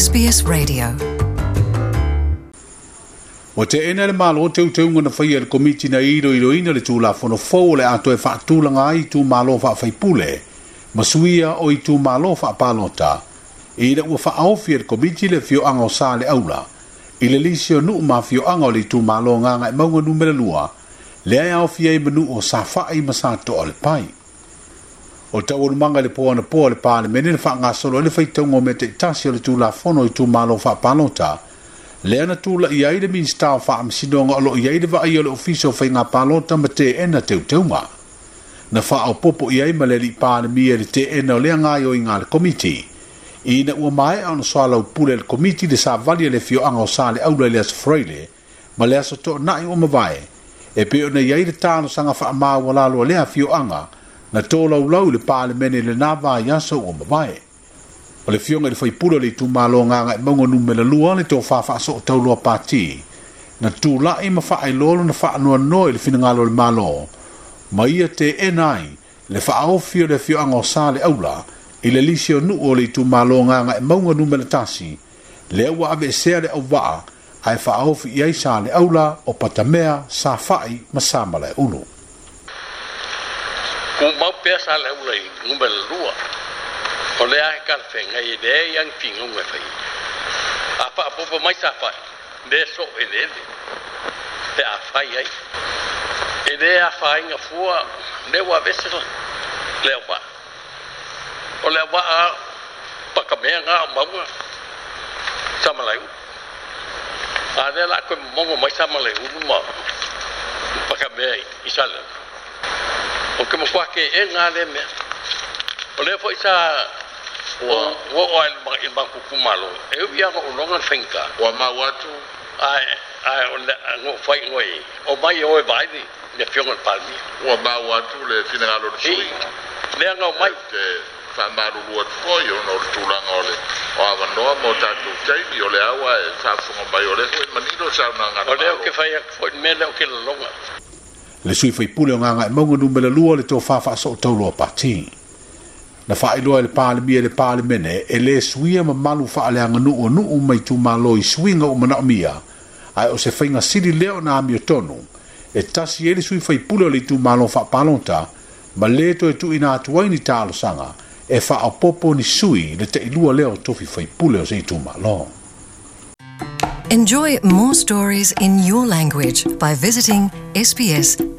SBS Radio. Ua teena e le Malo teuteuga na faia e le Komiti na iloiloina le Tulafono fou o le a toe faatulaga ai itumalo faafaipule ma suia o itumalo faapalota ina ua faaofi e le Komiti le afioaga o Saleaula i le lisi o nuu ma afioaga o le itumalo Gagaemauga Numera 2 lea e aofia ai ma nuu o Safai ma Satoa o le Pai. O taualumaga i le po anapo a le Palemene na faagasolo ai le faitauga o mea taitasi o le Tulafono o Itumalo Faapalota, lea na tulai ai le Minisita o Faamasinoga o lo o i ai le vaaia o le Ofisa o Faiga Palota ma teena teuteuga. Na faaopoopo i ai ma le Alii Palemia i le teena o lea gaoioiga a le Komiti. Ina ua maea ona soalaupule e le Komiti le savali a le afioaga o Saleaula i le Aso Faraile ma le Aso Toonai ua mavae, e pei ona i ai le talosaga faamaualalo a lea afioaga na tolaulau i le Palemene i lena vaiaso ua mavae. O le afioga i le faipule o le itumalo Gagaemauga Numera 2, le Tofa Faasootauloa Pati, na tulai ma faailoa lona faanoanoa i le finagalo o le Malo ma ia teena ai le faaofi o le afioaga o Saleaula i le lisi o nuu o le itumalo Gagaemauga Numera 1, lea ua aveesea le auvaa ae faaofi i ai Saleaula, o Patamea, Safai ma Samalaeulu. Tumau pea Saleaula i numera 2, o lea e talafeagai e leai lava ni finauga e fai ai. A faaopoopo mai Safai, le soo eleele pe a fai ai. E le afaina fua lea ua aveese le auvaa. O le auvaa Patamea na o mauga Samalaeulu. A lea la a toe momono mai Samalaeulu ma Patamea i Saleaula. Ou te matua teena lava lea mea. O lea foi sa ua oo lava i le matou itumalo, e ui lava ina ou iloga le faigata. Ua mau atu. Ae o le a fai i omai e o e vaai le afioga i le Palemia. Ua mau atu le finagalo o le sui. Lea na omai. Ou te faamalulu atu foi ona o le tulaga o le o avanoa mo tatou taimi, o lea ua e faafofoga mai, o lea foi e manino le saunoaga a le O lea ou Malo. te fai atu foi le mea lea ou te lagona. Le sui faipule o Gagaemauga Numera 2, le Tofa Faasootauloa Pati. Na faailoa e le Palemia i le Palemene e le suia mamalu faaleaganuu o nuu ma itumalo i suiga ua manaomia, ae o se faiga sili lea ona amiotonu e tasi ai le sui faipule o le itumalo faapalota ma le toe tuuina atu ai ni talosaga e faaopoopo ni sui i le tailua lea o tofi faipule o se itumalo. Enjoy more stories in your language by visiting sbs.com.au.